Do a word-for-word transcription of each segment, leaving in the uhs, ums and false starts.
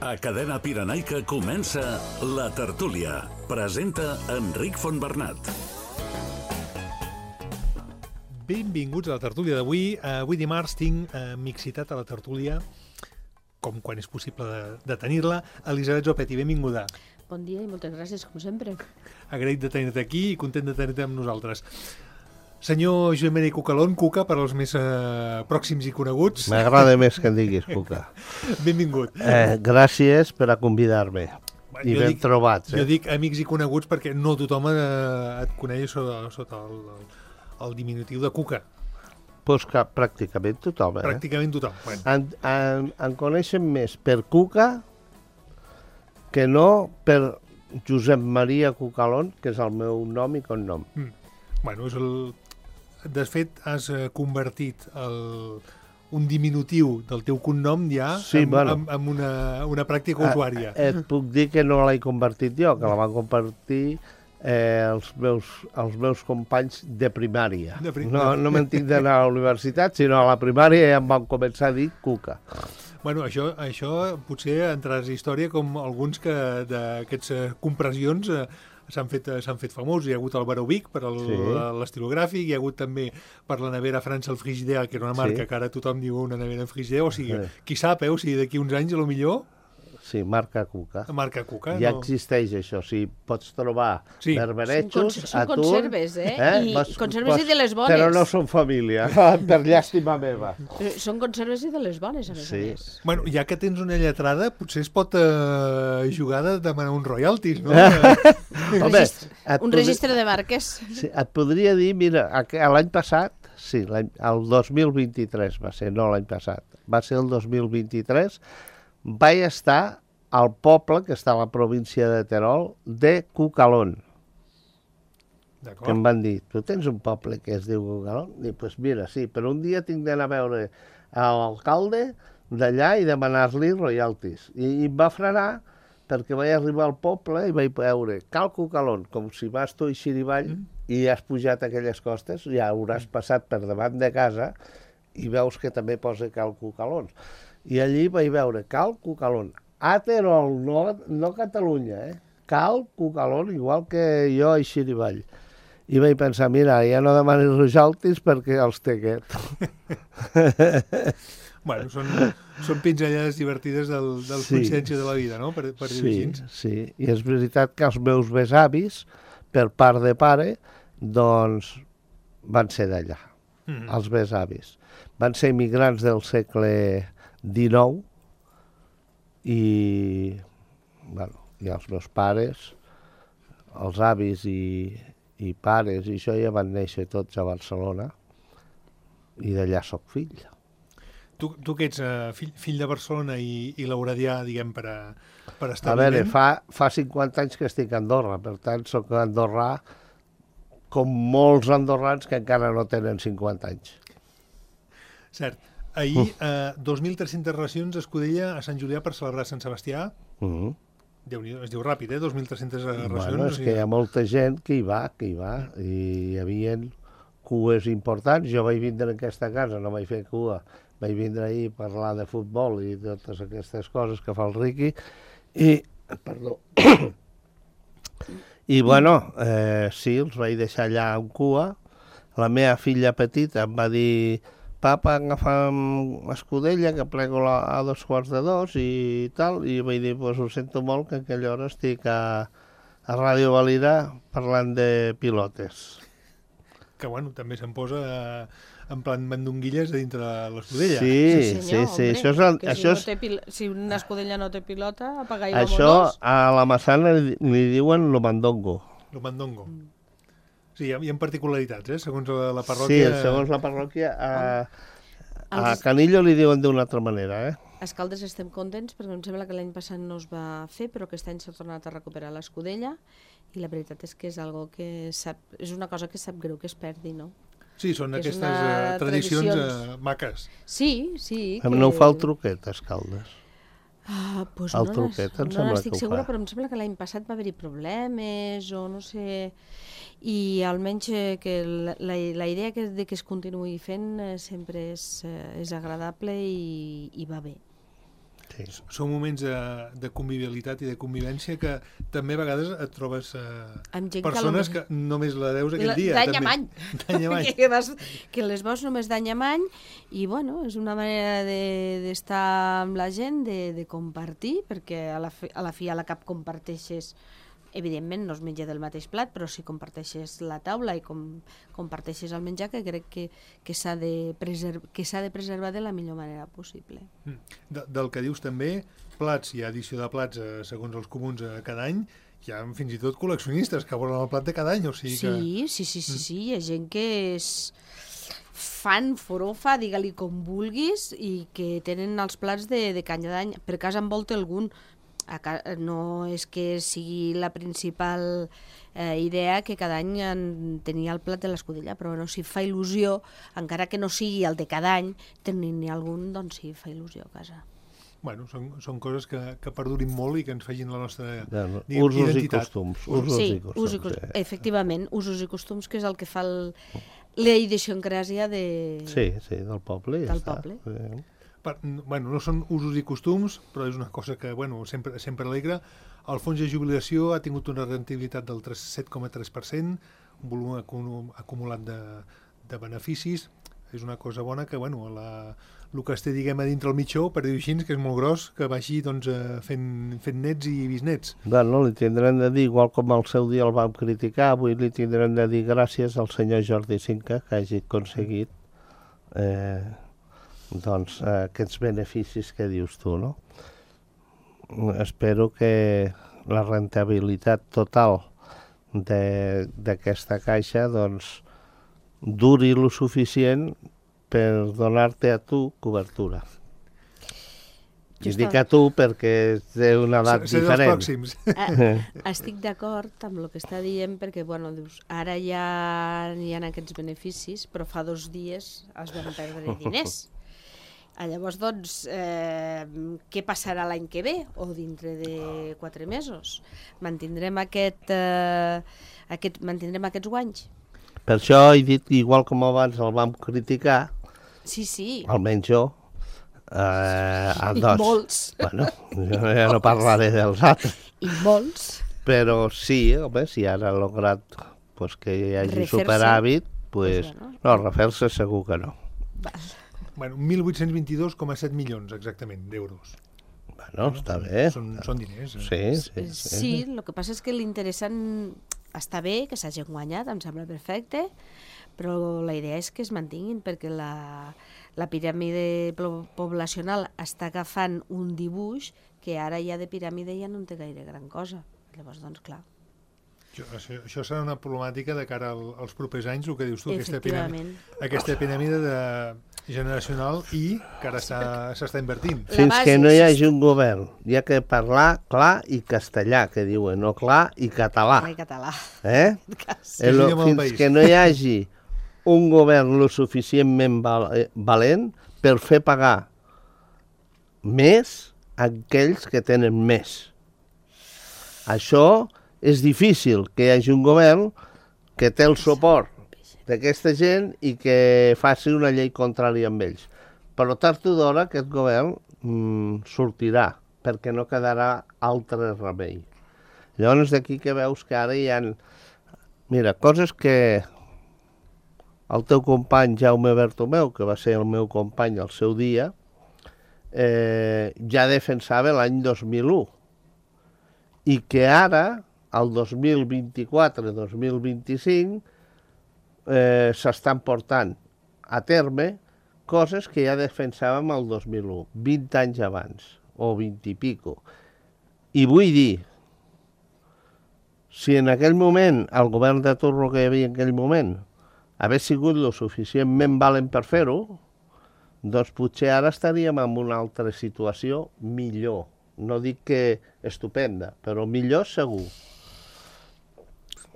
A Cadena Pirenaica comença La Tertúlia. Presenta Enric Fontbernat. Benvinguts a la tertúlia d'avui. Avui dimarts tinc eh, mixitat a la tertúlia, com quan és possible de, de tenir-la. Elisabet Zopetti, benvinguda. Bon dia i moltes gràcies, com sempre. Agraït de tenir-te aquí i content de tenir-te amb nosaltres. Senyor Joan Maria Cucalón, Cuca, per als més eh, pròxims i coneguts. M'agrada més que em diguis, Cuca. Benvingut. Eh, gràcies per a convidar-me. I Jo ben dic- trobats. Jo Eh? dic amics i coneguts perquè no tothom eh, et coneix sota, sota el, el, el diminutiu de Cuca. Pues que pràcticament tothom. Eh? Pràcticament tothom. Bueno, En, en, en coneixen més per Cuca que no per Josep Maria Cucalón, que és el meu nom i cognom. bueno, és el... De fet, has eh, convertit el, un diminutiu del teu cognom ja Sí, en, bueno. en, en una, una pràctica usuària. Eh, et puc dir que no l'he convertit jo, que la van convertir eh, els, meus, els meus companys de primària. De prim- No, no me'n tinc d'anar a la universitat, sinó a la primària ja em van començar a dir Cuca. Bueno, això, això potser entraràs a història com alguns que d'aquests eh, compressions eh, s'han fet, eh, s'han fet famosos. Hi ha hagut el Baró Vic per el- Sí. l'estilogràfic, hi ha hagut també per la nevera França el Frigidaire, que era una marca Sí. que ara tothom diu una nevera en Frigidaire, o sigui, Sí. qui sap, eh? O sigui, d'aquí uns anys, a lo millor, Sí, marca Cuca. marca Cuca. Ja no? existeix això, o sigui, pots trobar Sí. Són, berberechos, cons són atún... conserves, eh? I Vas- conserves vas- i de les bones. Però no són família, per llàstima meva. Eh, Són conserves i de les bones, a més Sí. a més. Bueno, ja que tens una lletrada, potser es pot eh, jugar de demanar uns royalties, no? Un, Home, registre, et un podri- registre de marques. Sí, et podria dir, mira, aqu- l'any passat, sí, l'any- el dos mil vint-i-tres va ser, no l'any passat, va ser el dos mil vint-i-tres, vaig estar al poble, que està a la província de Terol, de Cucalón, que em D'acord. van dir, tu tens un poble que es diu Cucalón? Dic, doncs pues mira, sí, però un dia tinc d'anar a veure a l'alcalde d'allà i demanar-li royalties. I, I em va frenar perquè vaig arribar al poble i vaig veure Cal Cucalón, com si vas tu a Xirivall mm. i has pujat aquelles costes, ja hauràs passat per davant de casa i veus que també posa Cal Cucalón. I allí vaig veure Cal Cucalón, a Terol, no, no Catalunya, eh? Cal Cucalón, igual que jo a Xirivall. I vaig pensar, mira, ja no demanis royalties perquè els té aquest. Bueno, són, són pinzellades divertides del, del Sí. consciència de la vida, no? Per, per dir-ho Sí, així. sí, i és veritat que els meus besavis, per part de pare, doncs van ser d'allà, Mm. els besavis. Van ser immigrants del segle dinou i, bueno, i els meus pares, els avis i, i pares i això ja van néixer tots a Barcelona i d'allà sóc fill. Tu, tu que ets uh, fill, fill de Barcelona i, i lauradià, diguem, per, a, per A estar veure, fa, fa cinquanta anys que estic a Andorra, per tant, sóc andorrà com molts andorrans que encara no tenen cinquanta anys. Cert. Ahir, uh, dos mil tres-centes racions d'escudella a Sant Julià per celebrar Sant Sebastià. Mm -hmm. Déu-n'hi-do, es diu ràpid, eh? dos mil tres-centes racions. Bueno, és o sigui, que hi ha molta gent que hi va, que hi va, i hi havia cues importants. Jo vaig vindre en aquesta casa, no vaig fer cua, vaig vindre ahir a parlar de futbol i totes aquestes coses que fa el Riqui, i, perdó, i bueno, eh, sí, els vaig deixar allà en cua. La meva filla petita em va dir, papa, agafa'm escudella, que plego la, a dos quarts de dos i tal, i vaig dir, pues ho sento molt, que a aquella hora estic a, a Ràdio Valira parlant de pilotes. que, bueno, també se'n posa uh, en plan mandonguilles a dintre de l'escudella. Sí, sí, sí, això és... El, que això si, no és té pil... si una escudella no té pilota, apaga i això vámonos. a la Massana li, li diuen lo mandongo. El mandongo. Sí, hi ha, hi ha particularitats, eh? Segons la, la Sí, parròquia... segons la parròquia, a, a Els- Canillo li diuen d'una altra manera, eh? A Escaldes estem contents perquè em sembla que l'any passat no es va fer, però aquest any s'ha tornat a recuperar l'escudella i la veritat és que és algo que sap, és una cosa que sap greu que es perdi, no? Sí, són És aquestes una uh, tradicions tradicions. uh, maques. Sí, sí. Que... No ho fa el truquet, a Escaldes. Ah, pues El no truquet, em n'es- no sembla n'estic que ho segura, fa. però em sembla que l'any passat va haver-hi problemes o no sé... I almenys eh, que la, la, la idea que, de que es continuï fent eh, sempre és, eh, és agradable i, i va bé. Sí. Són moments de, de convivialitat i de convivència que també a vegades et trobes eh, Amb gent persones que, que només la veus aquell La- dia. d'any també. en any. D'any en any. que, vas, que les veus només d'any en any i bueno, és una manera d'estar de, amb la gent, de, de compartir, perquè a la, fi, a la fi a la cap comparteixes, evidentment no es menja del mateix plat, però si comparteixes la taula i com, comparteixes el menjar, que crec que, que s'ha de, preserv, que s'ha de preservar de la millor manera possible. De, del que dius també, plats, hi ha edició de plats eh, segons els comuns eh, cada any, hi ha fins i tot col·leccionistes que volen el plat de cada any, o sigui que... Sí, sí, sí, sí, sí, hi ha gent que és fan, forofa, digue-li com vulguis, i que tenen els plats de, de canya d'any. Per casa en volta algun, a ca... no és que sigui la principal eh, idea que cada any en tenia el plat de l'escudella, però bueno, si fa il·lusió, encara que no sigui el de cada any, tenir-ne algun, doncs sí, fa il·lusió a casa. Bueno, són, són coses que, que perdurin molt i que ens facin la nostra Ja, no. diguem, Usos i identitat. costums. Usos Sí, i costums. usos i costums, Sí. efectivament, usos i costums, que és el que fa el, la idiosincràsia de... Sí, sí, del poble. Ja Del està. poble. Sí. Per, bueno, no són usos i costums, però és una cosa que bueno, sempre, sempre alegra. El fons de jubilació ha tingut una rentabilitat del set coma tres per cent, un volum acum, acumulat de, de beneficis. És una cosa bona que, bueno, la, el que es té, diguem, a dintre el mitjó, per dir-ho així, que és molt gros, que vagi doncs, eh, fent, fent nets i bisnets. Bueno, li tindrem de dir, igual com al seu dia el vam criticar, avui li tindrem de dir gràcies al senyor Jordi Cinca que hagi aconseguit eh, doncs, eh, aquests beneficis que dius tu, no? Espero que la rentabilitat total d'aquesta caixa doncs, duri lo suficient per donar-te a tu cobertura. I Jo dic estava- a tu perquè té una edat Ser dels diferent. pròxims. Eh, estic d'acord amb el que està dient, perquè bueno, dius, ara ja hi ha aquests beneficis, però fa dos dies es van perdre diners. Ah, llavors, doncs, eh, què passarà l'any que ve o dintre de quatre mesos? Mantindrem, aquest, eh, aquest, mantindrem aquests guanys? Per això he dit, igual com abans el vam criticar, Sí, sí. almenys jo, eh, a I dos. molts. Bueno, jo ja no parlaré dels altres. I molts. Però sí, home, si ara ha lograt pues, que hi hagi Refer-se. superàvit, pues, Pues bueno. no, refer-se segur que no. Val. Bueno, mil vuit-cents vint-i-dos coma set milions, exactament, d'euros. Bueno, està bé. Són, són diners. Eh? Sí, sí, Eh, sí. Sí, el que passa és que l'interessant està bé, que s'hagin guanyat, em sembla perfecte, però la idea és que es mantinguin, perquè la, la piràmide plo- poblacional està agafant un dibuix que ara ja de piràmide ja no en té gaire gran cosa. Llavors, doncs, clar, Això, això, això serà una problemàtica de cara al, als propers anys, el que dius tu, aquesta piràmide, efectivament. aquesta piràmide de generacional i que ara està- s'està invertint. La Fins base que no hi és- hagi un govern, hi ha que parlar clar i castellà, que diuen, no clar i català. Ai, català. Eh? Cas. És El, l'idioma del fins país. que no hi hagi un govern lo suficientment val, eh, valent per fer pagar més a aquells que tenen més. Això és difícil, que hi hagi un govern que té el suport d'aquesta gent i que faci una llei contrària amb ells. Però tard o d'hora aquest govern mm, sortirà, perquè no quedarà altre remei. Llavors d'aquí que veus que ara hi ha... Mira, coses que el teu company Jaume Bertomeu, que va ser el meu company al seu dia, eh, ja defensava l'any dos mil u. I que ara, el dos mil vint-i-quatre dos mil vint-i-cinc, eh, s'estan portant a terme coses que ja defensàvem el dos mil u, vint anys abans, o vint i pico. I vull dir, si en aquell moment el govern de turno que hi havia en aquell moment hagués sigut lo suficientment valent per fer-ho, doncs potser ara estaríem en una altra situació millor. No dic que estupenda, però millor segur.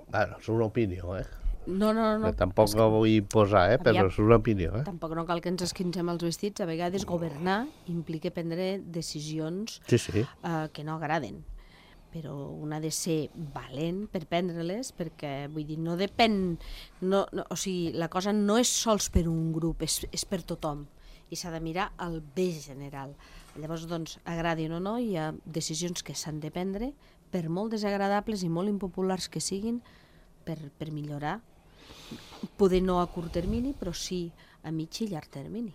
Bueno, és una opinió, eh? No, no, no. Que tampoc la vull posar, eh? Però Aviam. és una opinió, eh? Tampoc no cal que ens esquincem els vestits. A vegades governar implica prendre decisions Sí, sí. eh, que no agraden, però un ha de ser valent per prendre-les, perquè vull dir, no depèn, no, no, o sigui, la cosa no és sols per un grup, és, és per tothom. i s'ha de mirar el bé general. Llavors, doncs, agradin o no, hi ha decisions que s'han de prendre, per molt desagradables i molt impopulars que siguin, per, per millorar. Poder no a curt termini, però sí a mig i llarg termini.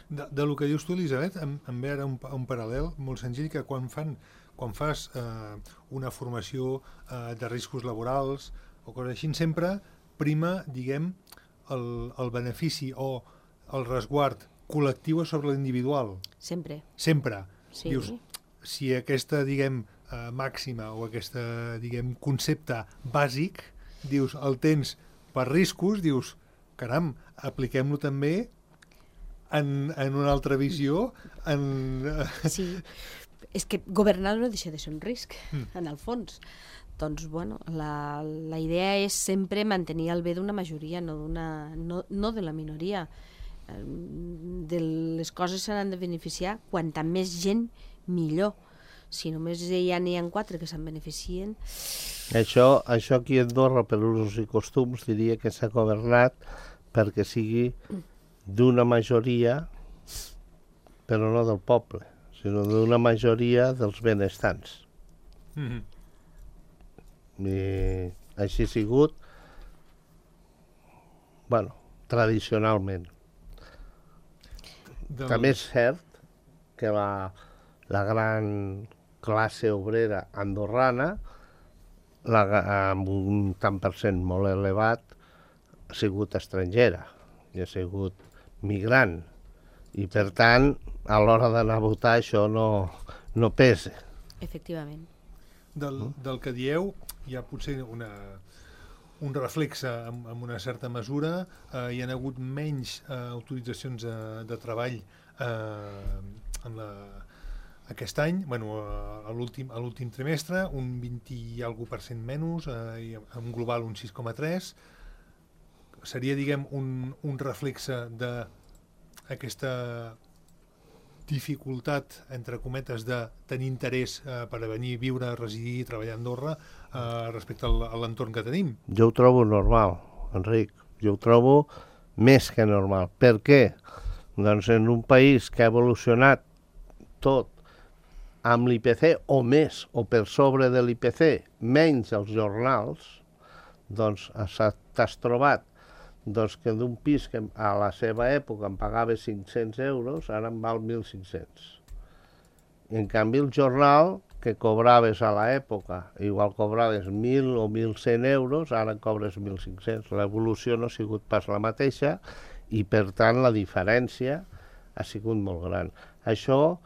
De, de lo que dius tu, Elisabet, em, em ve ara un, un paral·lel molt senzill, que quan, fan, quan fas eh, una formació eh, de riscos laborals o coses així, sempre prima, diguem, el, el benefici o el resguard col·lectiu sobre l'individual. Sempre. Sempre. Sí. Dius, si aquesta, diguem, eh, màxima o aquesta, diguem, concepte bàsic, dius, el tens per riscos, dius, caram, apliquem-lo també en, en una altra visió. En... Sí, és que governar no deixa de ser un risc, mm. en el fons. Doncs, bueno, la, la idea és sempre mantenir el bé d'una majoria, no, d'una, no, no de la minoria. De les coses se n'han de beneficiar quanta més gent, millor. Si només ja n'hi ha quatre que se'n beneficien... Això, això aquí a Andorra, per usos i costums, diria que s'ha governat perquè sigui d'una majoria, però no del poble, sinó d'una majoria dels benestants. Mm-hmm. I així ha sigut, bueno, tradicionalment. Del... També és cert que la, la gran classe obrera andorrana, la, amb un tant per cent molt elevat, ha sigut estrangera i ha sigut migrant. I, per tant, a l'hora d'anar a votar això no, no pesa. Efectivament. Del, del que dieu, hi ha potser una, un reflexe amb, amb una certa mesura. Eh, hi ha hagut menys eh, autoritzacions de, de treball eh, en la, aquest any, bueno, a l'últim a l'últim trimestre, un vint i algo per cent menys, eh, en global un sis coma tres. Seria, diguem, un, un reflexe d'aquesta dificultat, entre cometes, de tenir interès eh, per a venir, viure, residir i treballar a Andorra eh, respecte al, a l'entorn que tenim. Jo ho trobo normal, Enric. Jo ho trobo més que normal. Per què? Doncs en un país que ha evolucionat tot amb l'I P C o més, o per sobre de l'I P C, menys els jornals, doncs t'has trobat doncs, que d'un pis que a la seva època em pagava cinc-cents euros, ara em val mil cinc-cents. En canvi, el jornal que cobraves a l'època, igual cobraves mil o mil cent euros, ara cobres mil cinc-cents. L'evolució no ha sigut pas la mateixa i, per tant, la diferència ha sigut molt gran. Això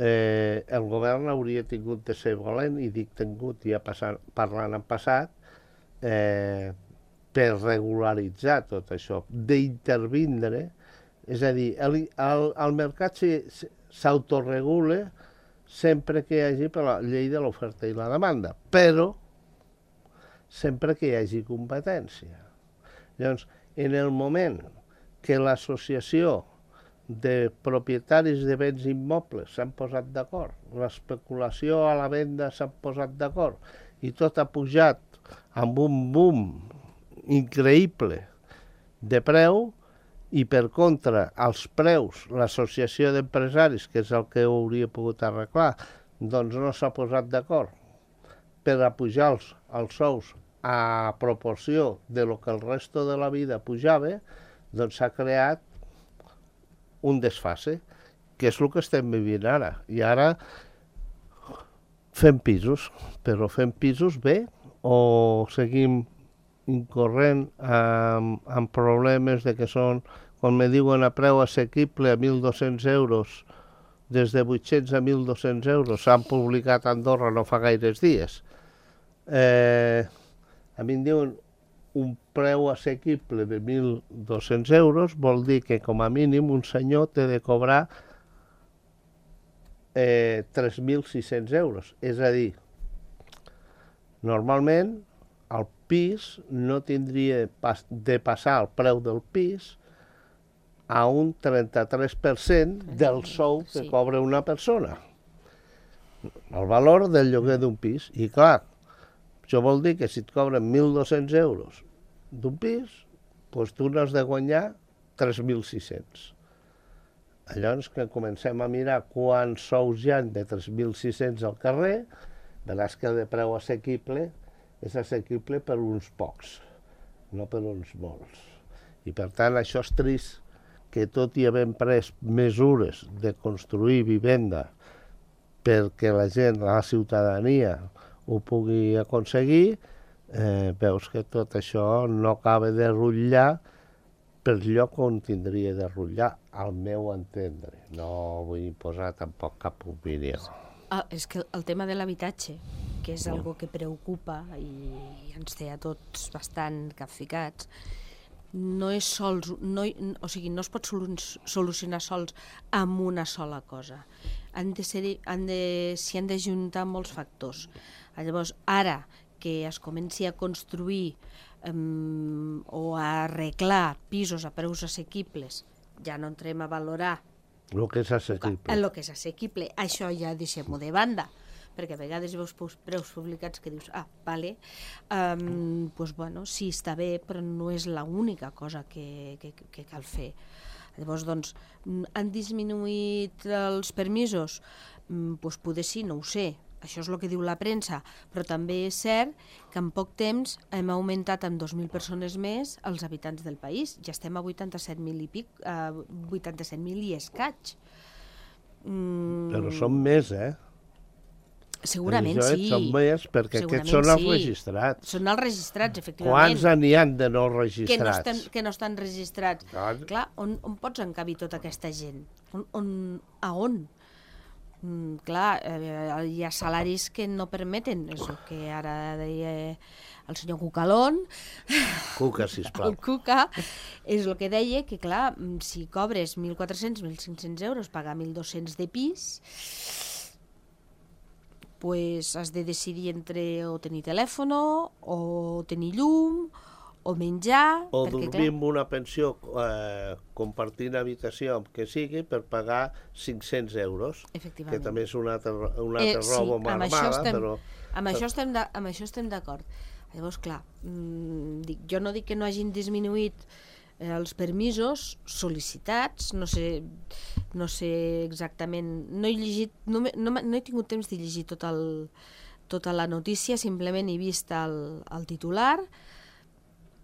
eh, el govern hauria tingut de ser valent, i dic tingut, ja passant, parlant en passat, eh, per regularitzar tot això, d'intervindre, és a dir, el, el, el mercat s'autoregula sempre que hi hagi per la llei de l'oferta i la demanda, però sempre que hi hagi competència. Llavors, en el moment que l'associació de propietaris de béns immobles s'han posat d'acord, l'especulació a la venda s'han posat d'acord, i tot ha pujat amb un boom increïble de preu, i per contra els preus, l'associació d'empresaris, que és el que hauria pogut arreglar, doncs no s'ha posat d'acord per a pujar els, els sous a proporció de lo que el resto de la vida pujava, doncs s'ha creat un desfase, que és el que estem vivint ara. I ara fem pisos, però fem pisos bé o seguim incorrent amb, amb problemes de que són, quan me diuen a preu assequible a mil dos-cents euros, des de vuit-cents a mil dos-cents euros, s'han publicat a Andorra no fa gaires dies. Eh, a mi em diuen un preu assequible de mil dos-cents euros, vol dir que com a mínim un senyor té de cobrar eh, tres mil sis-cents euros. És a dir, normalment el pis no tindria de passar el preu del pis a un trenta-tres per cent del sou que cobra una persona. El valor del lloguer d'un pis. I clar, això vol dir que si et cobren mil dos-cents euros d'un pis, doncs tu n'has de guanyar tres mil sis-cents. Llavors que comencem a mirar quants sous hi ha de tres mil sis-cents al carrer, veràs que el de preu assequible és assequible per uns pocs, no per uns molts. I per tant això és trist, que tot i havent pres mesures de construir vivenda perquè la gent, la ciutadania, ho pugui aconseguir, eh, veus que tot això no acaba de rutllar per lloc on tindria de rutllar, al meu entendre. No vull posar tampoc cap opinió. Ah, és que el tema de l'habitatge, que és algo que preocupa i ens té a tots bastant capficats, no és sols, no, o sigui, no es pot solucionar sols amb una sola cosa. Han de ser, han de, s'hi han de juntar molts factors. Llavors, ara que es comenci a construir um, o a arreglar pisos a preus assequibles, ja no entrem a valorar el que és assequible. El que és assequible. Això ja deixem-ho de banda, perquè a vegades veus preus publicats que dius, ah, vale, um, pues bueno, sí, està bé, però no és l'única cosa que, que, que cal fer. Llavors, doncs, han disminuït els permisos? Mm, pues poder sí, no ho sé. Això és el que diu la premsa, però també és cert que en poc temps hem augmentat en dos mil persones més els habitants del país. Ja estem a vuitanta-set mil i pic, a vuitanta-set mil i escaig. Mm. Però són més, eh? Segurament Això sí. Són més, perquè Segurament aquests són els sí. registrats. Són els registrats, efectivament. Quants n'hi ha de no registrats? Que no estan, que no estan registrats. Clar, Clar on, on pots encabir tota aquesta gent? On, on, a on? Mm, clar, eh, hi ha salaris que no permeten, és el que ara deia el senyor Cucalón. Cuca, sisplau. El Cuca, és el que deia, que clar, si cobres mil quatre-cents, mil cinc-cents euros, pagar mil dos-cents de pis, pues has de decidir entre o tenir telèfon, o tenir llum, o menjar... O perquè, dormir amb una pensió eh, compartint habitació amb que sigui per pagar cinc-cents euros, que també és un altre, un altre eh, robo sí, amb armada, estem, però... Amb això estem de, amb això estem d'acord. Llavors, clar, mmm, dic, jo no dic que no hagin disminuït eh, els permisos sol·licitats, no sé, no sé exactament, no he llegit, no, no, no he tingut temps de llegir tot el, tota la notícia, simplement he vist el, el titular,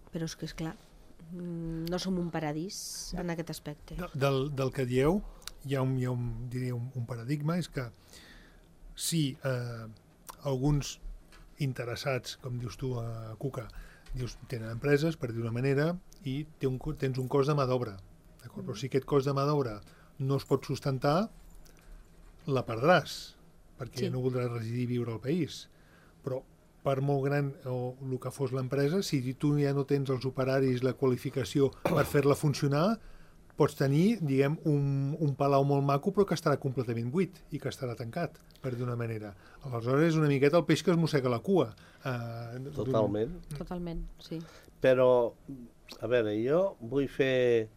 però és que, és clar, no som un paradís en aquest aspecte. Del, del que dieu, hi ha, un, hi ha un, diria un, un paradigma, és que si eh, alguns interessats, com dius tu, a Cuca, dius, tenen empreses, per dir una manera, i té un, tens un cost de mà d'obra. Mm. Però si aquest cost de mà d'obra no es pot sustentar, la perdràs, perquè sí. No voldràs residir i viure al país. Però per molt gran o el que fos l'empresa, si tu ja no tens els operaris, la qualificació per fer-la funcionar, pots tenir, diguem, un, un palau molt maco però que estarà completament buit i que estarà tancat, per d'una manera. Aleshores és una miqueta el peix que es mossega la cua. Uh, Totalment. Totalment, sí. Però, a veure, jo vull fer,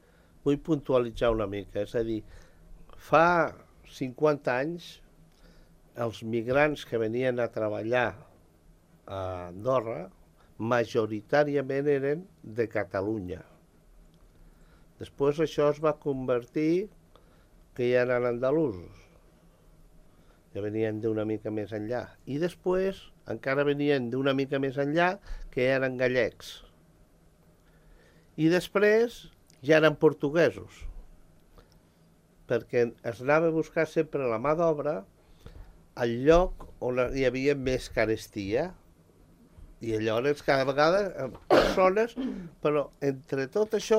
vull puntualitzar una mica, és a dir, fa cinquanta anys els migrants que venien a treballar a Andorra majoritàriament eren de Catalunya. Després això es va convertir que ja eren andalusos. Ja venien d'una mica més enllà. I després encara venien d'una mica més enllà que eren gallecs. I després ja eren portuguesos. Perquè es anava a buscar sempre la mà d'obra al lloc on hi havia més carestia. I llavors cada vegada persones, però entre tot això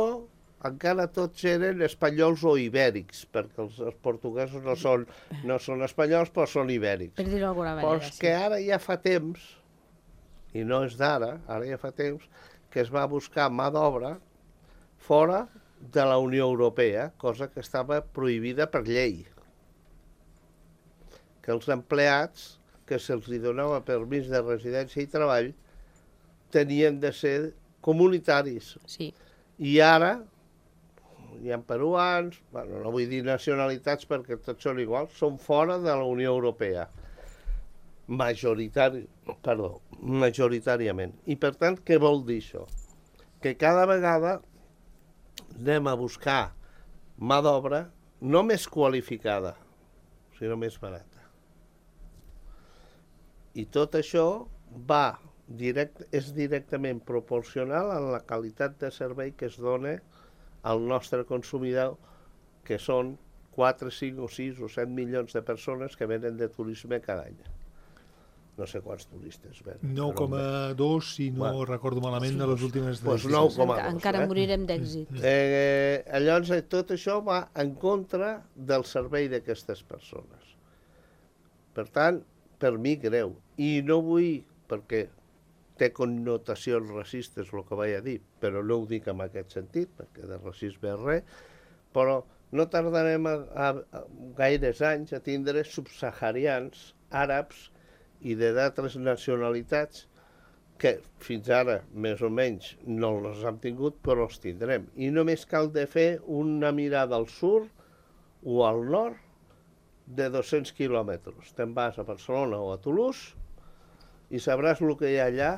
encara tots eren espanyols o ibèrics, perquè els, els portuguesos no són, no són espanyols, però són ibèrics. Per dir-ho d'alguna manera, però és que ara ja fa temps, i no és d'ara, ara ja fa temps, que es va buscar mà d'obra fora de la Unió Europea, cosa que estava prohibida per llei. Que els empleats que se'ls donava permís de residència i treball tenien de ser comunitaris. Sí. I ara hi ha peruans, bueno, no vull dir nacionalitats perquè tots són iguals, són fora de la Unió Europea. Majoritari, perdó, majoritàriament. I per tant, què vol dir això? Que cada vegada anem a buscar mà d'obra no més qualificada, sinó més barata. I tot això va direct, és directament proporcional a la qualitat de servei que es dona al nostre consumidor, que són quatre, cinc o sis o set milions de persones que venen de turisme cada any. No sé quants turistes venen. nou coma dos, si no bueno, recordo malament, de les últimes... Pues nou coma dos. Encara eh? morirem d'èxit. Eh, llavors, tot això va en contra del servei d'aquestes persones. Per tant, per mi greu. I no vull, perquè té connotacions racistes el que vaig a dir, però no ho dic en aquest sentit, perquè de racisme és res, però no tardarem a, a, a gaires anys a tindre subsaharians, àrabs i d'altres nacionalitats que fins ara, més o menys, no els hem tingut, però els tindrem. I només cal de fer una mirada al sud o al nord de dos-cents quilòmetres. Te'n vas a Barcelona o a Toulouse i sabràs el que hi ha allà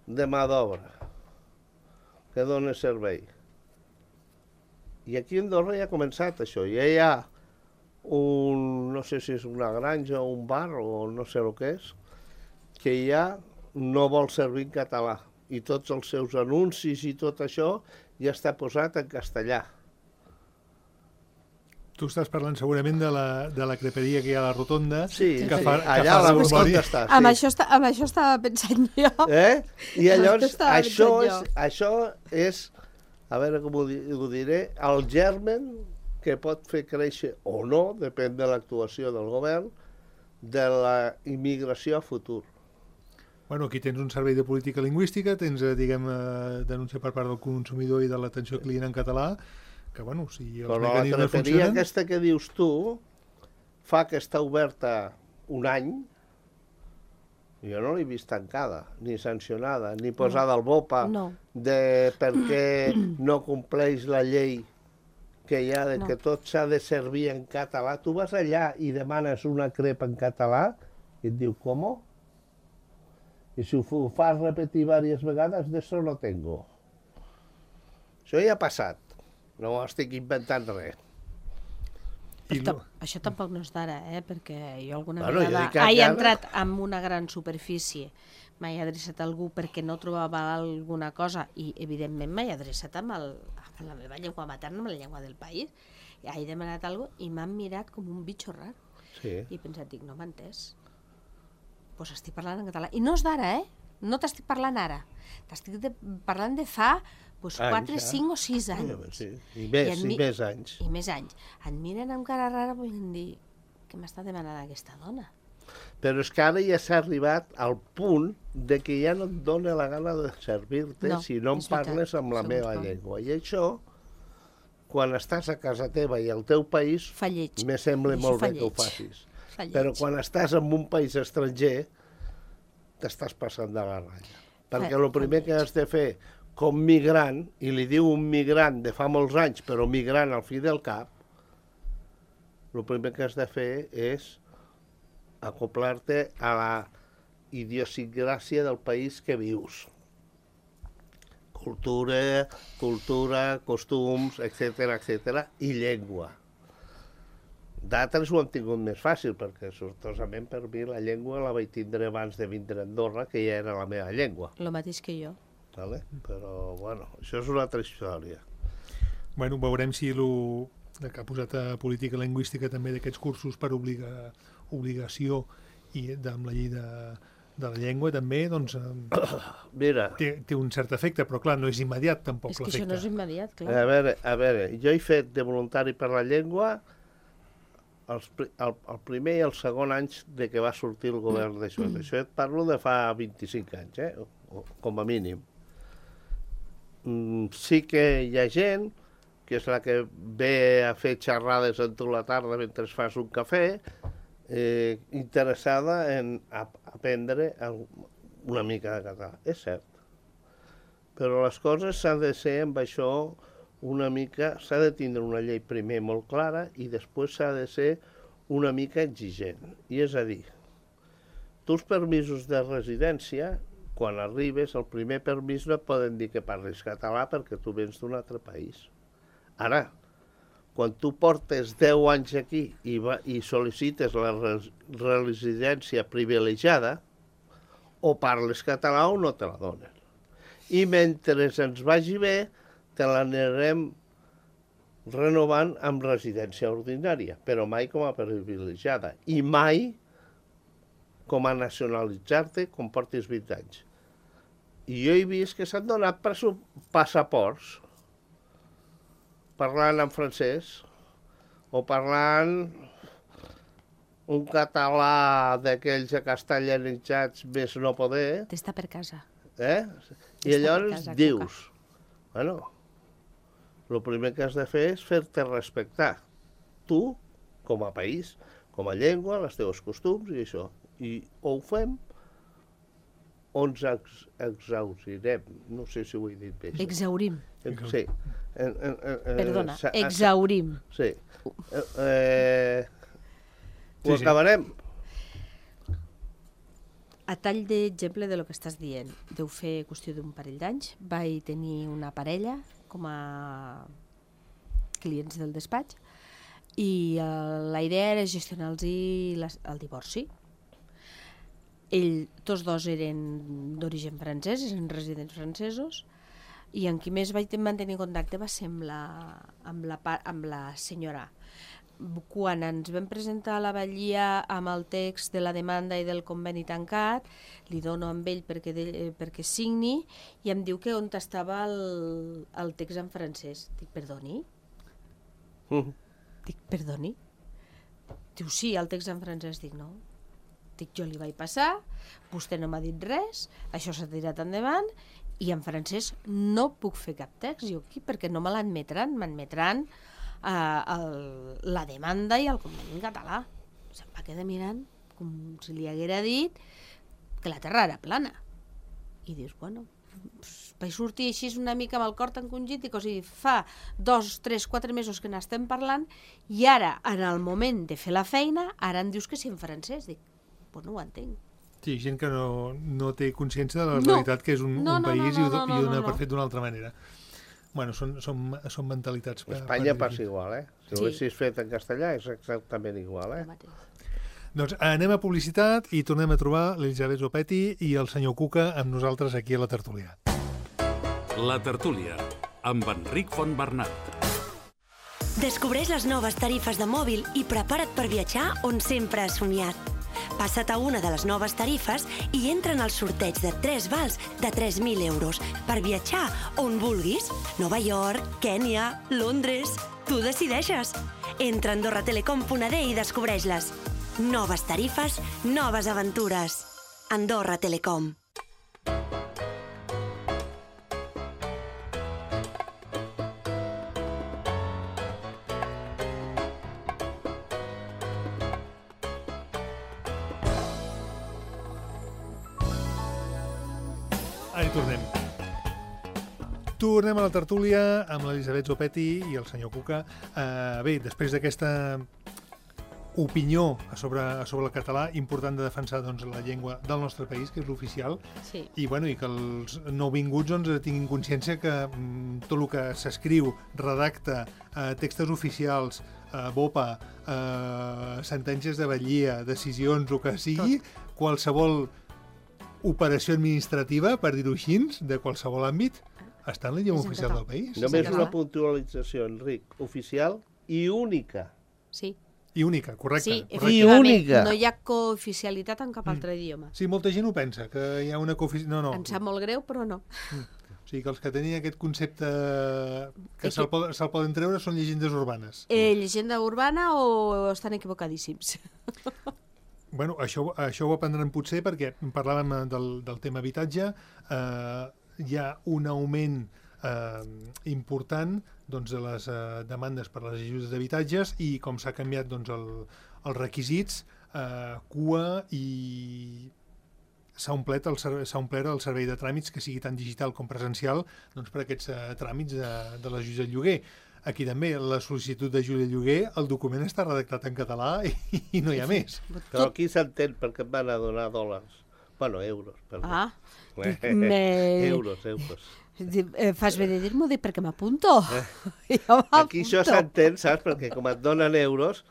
de mà d'obra que dona servei. I aquí a Andorra ja ha començat això. Ja hi ha un, no sé si és una granja o un bar o no sé el que és, que ja no vol servir en català. I tots els seus anuncis i tot això ja està posat en castellà. Tu estàs parlant segurament de la, de la creperia que hi ha a la Rotonda. Sí, que sí. Fa, allà que a la fa Rotonda està. Sí. Amb, això està, amb això estava pensant jo. Eh? I llavors, Estava això pensant és, jo. això és, a veure com ho, di ho diré, el germen que pot fer créixer o no, depèn de l'actuació del govern, de la immigració a futur. Bueno, aquí tens un servei de política lingüística, tens, eh, diguem, eh, denúncia per part del consumidor i de l'atenció al client en català, que, bueno, si els Però la mecanismes creperia funcionen... aquesta que dius tu fa que està oberta un any. Jo no l'he vist tancada, ni sancionada, ni posada al bopa No. de perquè no compleix la llei que hi ha de No. que tot s'ha de servir en català. Tu vas allà i demanes una crepa en català i et diu, com? I si ho fas repetir diverses vegades, d'això no tengo. Això ja ha passat. No estic inventant res. I Però lo- ta- això tampoc no és d'ara, eh? Perquè jo alguna Bueno, jo vegada dic que he ara- entrat en una gran superfície, m'he adreçat a algú perquè no trobava alguna cosa i, evidentment, m'he adreçat amb, el, amb la meva llengua materna, amb la llengua del país, i he demanat alguna cosa i m'han mirat com un bitxo rar. Sí. I he pensat, dic, no m'ha entès. Doncs pues estic parlant en català. I no és d'ara, eh? No t'estic parlant ara. T'estic de, parlant de fa pues, Anys, quatre, ja. cinc o sis anys. Sí. I més, en i, mi- més anys. I més anys. Et miren amb cara rara volent dir què m'està demanant aquesta dona. Però és que ara ja s'ha arribat al punt de que ja no et dóna la gana de servir-te No, si no em és veritat, parles amb la segons meva com. llengua. I això, quan estàs a casa teva i al teu país, Fa lleig. me sembla I això molt fa bé que ho lleig. facis. Fa lleig. Però quan estàs en un país estranger, t'estàs passant de la ratlla. Perquè Fa- el primer fa que lleig. has de fer com migrant, i li diu un migrant de fa molts anys, però migrant al fi del cap, el primer que has de fer és acoplar-te a la idiosincràsia del país que vius. Cultura, cultura, costums, etcètera, etcètera, i llengua. D'altres ho han tingut més fàcil, perquè sortosament per mi la llengua la vaig tindre abans de vindre a Andorra, que ja era la meva llengua. El mateix que jo. Vale? Però, bueno, això és una altra història. Bueno, veurem si lo que ha posat a política lingüística també d'aquests cursos per obliga, obligació i de, amb la llei de, de la llengua també, doncs eh, Mira, té, té un cert efecte, però clar, no és immediat tampoc És que això no és l'efecte. immediat, a clar. veure, a veure, jo he fet de voluntari per la llengua els, pri- el, el primer i el segon anys de que va sortir el govern d'això. Això et parlo de fa vint-i-cinc anys, eh? o, o, com a mínim. Mm, sí que hi ha gent que és la que ve a fer xerrades en tu la tarda mentre fas un cafè, eh, interessada en ap aprendre el- una mica de català. És cert. Però les coses s'han de ser amb això una mica, s'ha de tindre una llei primer molt clara i després s'ha de ser una mica exigent. I és a dir, tu els permisos de residència, quan arribes, el primer permís no et poden dir que parlis català perquè tu vens d'un altre país. Ara, quan tu portes deu anys aquí i, va, i sol·licites la residència privilegiada, o parles català o no te la donen. I mentre ens vagi bé, te l'anirem renovant amb residència ordinària, però mai com a privilegiada. I mai com a nacionalitzar-te quan portis vint anys. I jo he vist que s'han donat passaports parlant en francès o parlant un català d'aquells acastellanitzats més no poder. T'està per casa. Eh? I llavors casa, dius, bueno, el primer que has de fer és fer-te respectar. Tu, com a país, com a llengua, els teus costums i això. I o ho fem o ens ex exhaurem. No sé si ho he dit bé. Exhaurim. Sí. En, en, en, Perdona, exhaurim. Sí. Eh, eh, ho sí, acabarem. A tall d'exemple de lo que estàs dient, deu fer qüestió d'un parell d'anys, vaig tenir una parella com a clients del despatx i uh, la idea era gestionar-los el divorci. Ell, tots dos eren d'origen francès, eren residents francesos, i amb qui més vaig mantenir contacte va ser amb la, amb la, amb la senyora. Quan ens vam presentar a la batllia amb el text de la demanda i del conveni tancat, li dono amb ell perquè, de, perquè signi i em diu que on estava el, el text en francès. Dic, perdoni? Mm. Dic, perdoni? Diu, sí, el text en francès. Dic, no. Dic, jo li vaig passar, vostè no m'ha dit res, això s'ha tirat endavant i en francès no puc fer cap text. Jo aquí perquè no me l'admetran, m'admetran Uh, el, la demanda i el conveni en català. Se'm va quedar mirant com si li haguera dit que la terra era plana. I dius, bueno, vaig sortir així una mica amb el cor encongit, dic, o sigui, fa dos, tres, quatre mesos que n'estem parlant i ara, en el moment de fer la feina, ara em dius que sí en francès. Dic, pues no ho entenc. Sí, gent que no, no té consciència de la No. realitat que és un, No, un no, país no, no, i ho, no, no, i ho dona no. per fet d'una altra manera. Bueno, són, són, són mentalitats. Per, Espanya per passa igual, eh? Si Sí. ho haguessis fet en castellà és exactament igual, eh? El mateix. Doncs anem a publicitat i tornem a trobar l'Elisabet Zopetti i el senyor Cuca amb nosaltres aquí a la tertúlia. La tertúlia, amb Enric Fontbernat. Descobreix les noves tarifes de mòbil i prepara't per viatjar on sempre has somiat. Passa't a una de les noves tarifes i entra en el sorteig de tres vals de tres mil euros per viatjar on vulguis. Nova York, Kènia, Londres... Tu decideixes. Entra a andorra telecom punt a d i descobreix-les. Noves tarifes, noves aventures. Andorra Telecom. Ara hi tornem. Tornem a la tertúlia amb l'Elisabet Zopetti i el senyor Cuca. Uh, bé, després d'aquesta opinió sobre, sobre el català, important de defensar doncs, la llengua del nostre país, que és l'oficial, Sí. i, bueno, i que els nouvinguts doncs, tinguin consciència que mm, tot el que s'escriu, redacta, eh, textos oficials, eh, BOPA, eh, sentències de batllia, decisions, el que sigui, Tot. qualsevol operació administrativa, per dir-ho així, de qualsevol àmbit, està en la llengua És en oficial català. del país. Només català. una puntualització, Enric, oficial i única. Sí. I única, correcte. Sí, correcte. I efectivament, única. no hi ha cooficialitat en cap altre idioma. Sí, molta gent ho pensa, que hi ha una coofici... No, no. Em sap molt greu, però no. O sigui, que els que tenien aquest concepte que És se'l que- pod se poden treure són llegendes urbanes. Eh, llegenda urbana o estan equivocadíssims? Bueno, això, això ho aprendrem potser perquè parlàvem del, del tema habitatge. Eh, hi ha un augment eh, important doncs, de les eh, demandes per les ajudes d'habitatges i com s'ha canviat doncs, el, els requisits, eh, cua i s'ha omplert, el, s'ha omplert el servei de tràmits que sigui tant digital com presencial doncs, per aquests eh, tràmits de, de l'ajuda al lloguer. Aquí també, la sol·licitud d'ajuda al lloguer, el document està redactat en català i, i no hi ha més. Però aquí s'entén perquè et van a donar dòlars. Bueno, euros, perdó. Ah, Eh, me- euros, euros. Eh, fas bé de dir-m'ho, dic, perquè m'apunto. Eh. Aquí això s'entén, saps? Perquè com et donen euros,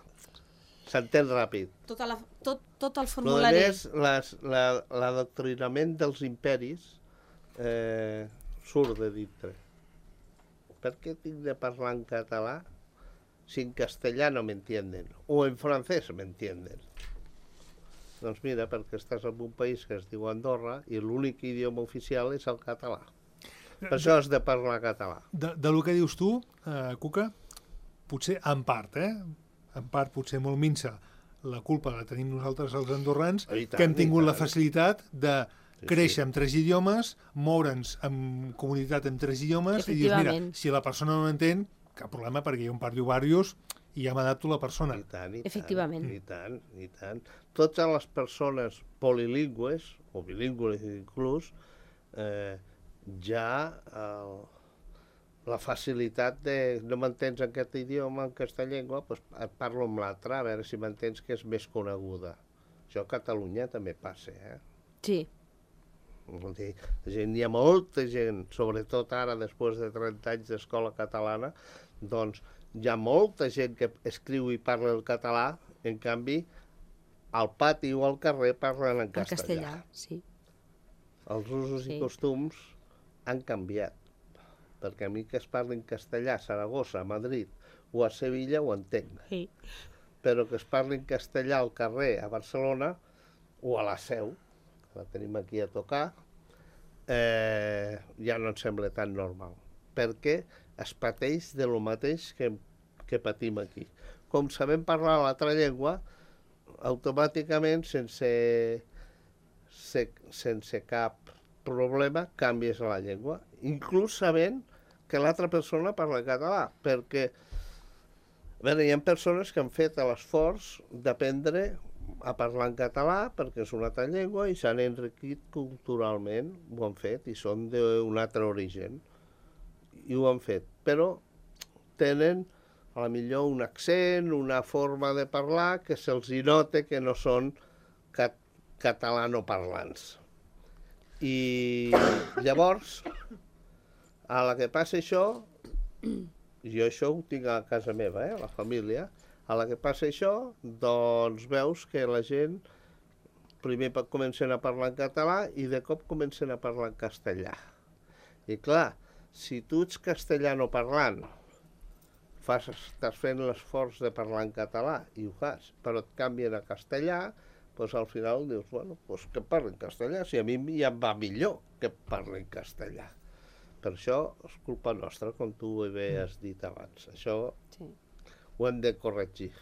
s'entén ràpid. Tota la, tot, tot el Però a formulari. més, les, la, l'adoctrinament dels imperis eh, surt de dintre. Per què tinc de parlar en català si en castellà no m'entienden? O en francès m'entienden? Doncs mira, perquè estàs en un país que es diu Andorra i l'únic idioma oficial és el català. Per això has de parlar català. De, de lo que dius tu, eh, Cuca, potser en part, eh? En part potser molt minsa, la culpa la tenim nosaltres els andorrans, I tant, que hem tingut i la tant. facilitat de Sí, créixer sí. amb tres idiomes, moure'ns en comunitat amb tres idiomes, i dius, mira, Efectivament. si la persona no entén, cap problema, perquè jo em parlo diversos i ja m'adapto a la persona. I tant, i tant, Efectivament. I tant, i tant. Totes les persones polilingües, o bilingües inclús, eh, ja eh, la facilitat de no m'entens en aquest idioma, en aquesta llengua, doncs et parlo amb l'altra, a veure si m'entens que és més coneguda. Això a Catalunya també passa, eh? Sí. Vol dir, gent, hi ha molta gent, sobretot ara, després de trenta anys d'escola catalana, doncs hi ha molta gent que escriu i parla el català, en canvi, al pati o al carrer parlen en En castellà. castellà, sí. Els usos Sí. i costums han canviat, perquè a mi que es parli en castellà a Saragossa, a Madrid o a Sevilla ho entenc, Sí. però que es parli en castellà al carrer a Barcelona o a la Seu, que la tenim aquí a tocar, eh, ja no em sembla tan normal, perquè es pateix de lo mateix que, que patim aquí. Com sabem parlar l'altra llengua, automàticament, sense, se, sense cap problema, canvies la llengua, inclús sabent que l'altra persona parla català, perquè a veure, hi ha persones que han fet l'esforç d'aprendre a parlar en català perquè és una altra llengua i s'han enriquit culturalment, ho han fet, i són d'un altre origen. I ho han fet, però tenen a la millor un accent, una forma de parlar que se'ls hi nota que no són cat catalanoparlants. I llavors, a la que passa això, jo això ho tinc a casa meva, eh, a la família, a la que passa això, doncs veus que la gent primer comencen a parlar en català i de cop comencen a parlar en castellà. I clar, si tu ets castellano parlant, fas, estàs fent l'esforç de parlar en català i ho fas, però et canvien a castellà, doncs al final dius, bueno, doncs que parli en castellà, si a mi ja em va millor que parli en castellà. Per això és culpa nostra, com tu bé has dit abans. Això Sí. ho hem de corregir.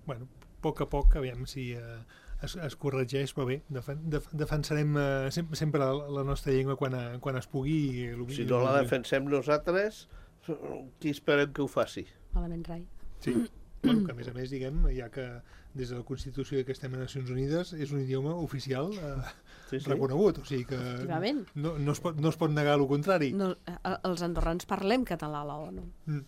Bueno, a poc a poc, aviam si eh, es, es corregeix, però bé, defen, def, defensarem eh, sempre, sempre la, la nostra llengua quan, a, quan es pugui. I, el, Si no la defensem nosaltres, qui esperem que ho faci? Malament rai. Sí, bueno, que a més a més, diguem, ja que des de la Constitució que estem a Nacions Unides és un idioma oficial eh, Sí, sí. reconegut, o sigui que Efectivament. no, no, es pot, no es pot negar el contrari. No, eh, els andorrans parlem català a la ONU. Mm.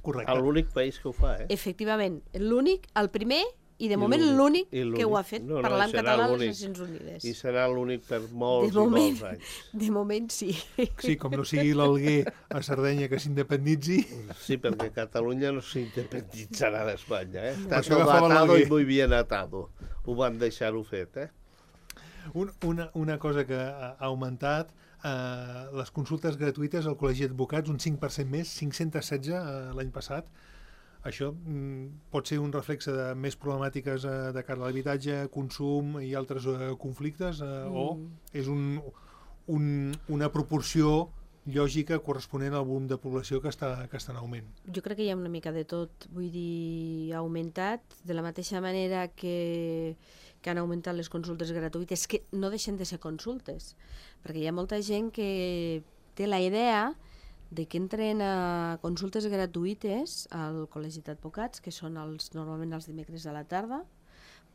Correcte. L'únic país que ho fa, eh? Efectivament, l'únic, el primer i de I moment l'únic. l'únic I l'únic. que ho ha fet No, no, parlant serà català a les l'únic. Nacions Unides. I serà l'únic per molts De moment. i molts anys. De moment sí. Sí, com no sigui l'Alguer a Sardenya que s'independitzi. Sí, perquè Catalunya no s'independitzarà d'Espanya, eh? Està Això tot agafava atado l'Alguer. i muy bien atado. Ho van deixar-ho fet, eh? Un, una, una cosa que ha ha augmentat, eh, les consultes gratuïtes al Col·legi d'Advocats, un cinc per cent més, cinc-cents setze eh, l'any passat. Això mm, pot ser un reflexe de més problemàtiques eh, de cara a l'habitatge, consum i altres eh, conflictes, eh, mm. o és un, un, una proporció lògica corresponent al volum de població que està, que està en augment. Jo crec que hi ha una mica de tot. Vull dir, ha augmentat de la mateixa manera que, que han augmentat les consultes gratuïtes, que no deixen de ser consultes, perquè hi ha molta gent que té la idea de que entren a consultes gratuïtes al Col·legi d'Advocats, que són els, normalment els dimecres a la tarda,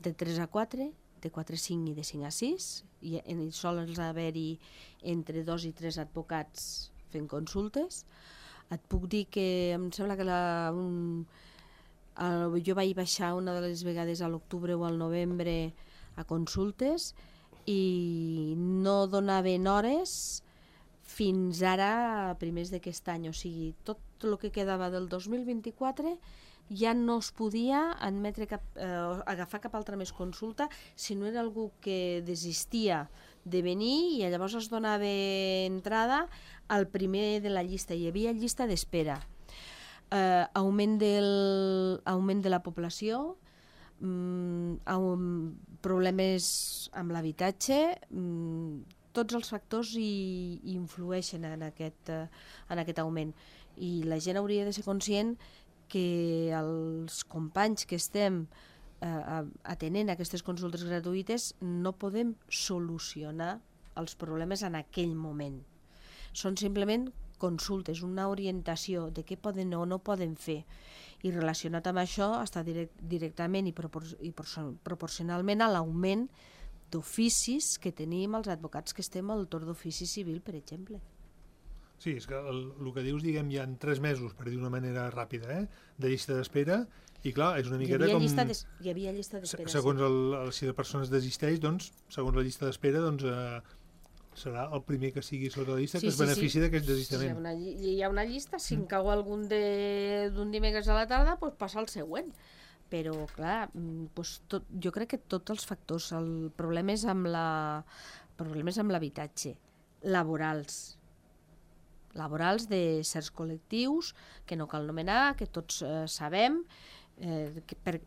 de tres a quatre, de quatre a cinc i de cinc a sis, i en, solen haver-hi entre dos i tres advocats fent consultes. Et puc dir que em sembla que la, un, el, jo vaig baixar una de les vegades a l'octubre o al novembre a consultes i no donaven hores fins ara, a primers d'aquest any. O sigui, tot el que quedava del dos mil vint-i-quatre ja no es podia admetre cap, eh, agafar cap altra més consulta si no era algú que desistia de venir i llavors es donava entrada al primer de la llista. Hi havia llista d'espera. Eh, augment, del, augment de la població, mm, problemes amb l'habitatge, mm, tots els factors hi, hi influeixen en aquest, eh, en aquest augment. I la gent hauria de ser conscient que els companys que estem eh, atenent aquestes consultes gratuïtes no podem solucionar els problemes en aquell moment. Són simplement consultes, una orientació de què poden o no poden fer. I relacionat amb això està direct, directament i, propor i proporcionalment a l'augment d'oficis que tenim els advocats que estem al torn d'ofici civil, per exemple. Sí, és que el, el que dius, diguem, hi ha tres mesos, per dir d'una manera ràpida, eh, de llista d'espera, i clar, és una miqueta com... Llista hi havia llista d'espera, segons el, el, si la persona es desisteix, doncs, segons la llista d'espera, doncs, eh, serà el primer que sigui sobre la llista sí, que es sí, benefici sí. d'aquest desistament. Sí, hi ha una, hi ha una llista, si mm. en cau algun d'un dimecres a la tarda, doncs passa al següent. Però, clar, doncs tot, jo crec que tots els factors, el problema és amb la, problemes amb l'habitatge, laborals, laborals de certs col·lectius que no cal nomenar, que tots eh, sabem, eh, que per,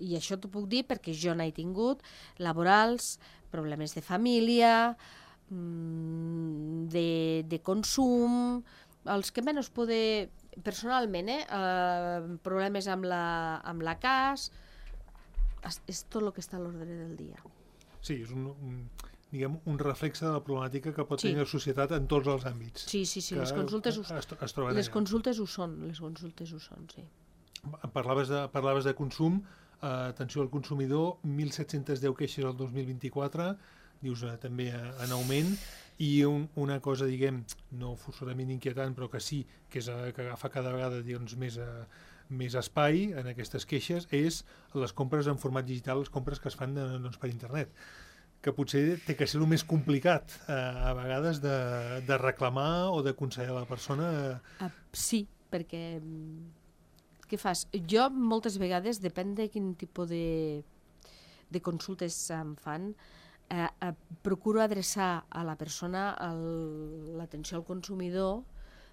i això t'ho puc dir perquè jo n'he tingut, laborals, problemes de família, de, de consum, els que menys poder, personalment, eh, eh, problemes amb la, amb la cas, és, és tot el que està a l'ordre del dia. Sí, és un... un... diguem, un reflexe de la problemàtica que pot sí. tenir la societat en tots els àmbits. Sí, sí, sí, les consultes, ho, es, es les consultes ho són, les consultes ho són, sí. Parlaves de, parlaves de consum, eh, atenció al consumidor, mil set-cents deu queixes el dos mil vint-i-quatre, dius eh, també eh, en augment, i un, una cosa, diguem, no forçosament inquietant, però que sí, que, és, eh, que agafa cada vegada doncs, més, eh, més espai en aquestes queixes, és les compres en format digital, les compres que es fan de, doncs, per internet, que potser té que ser el més complicat eh, a vegades de, de reclamar o d'aconsellar a la persona. Uh, sí, perquè què fas? Jo moltes vegades, depèn de quin tipus de, de consultes em fan, eh, eh, procuro adreçar a la persona l'atenció al consumidor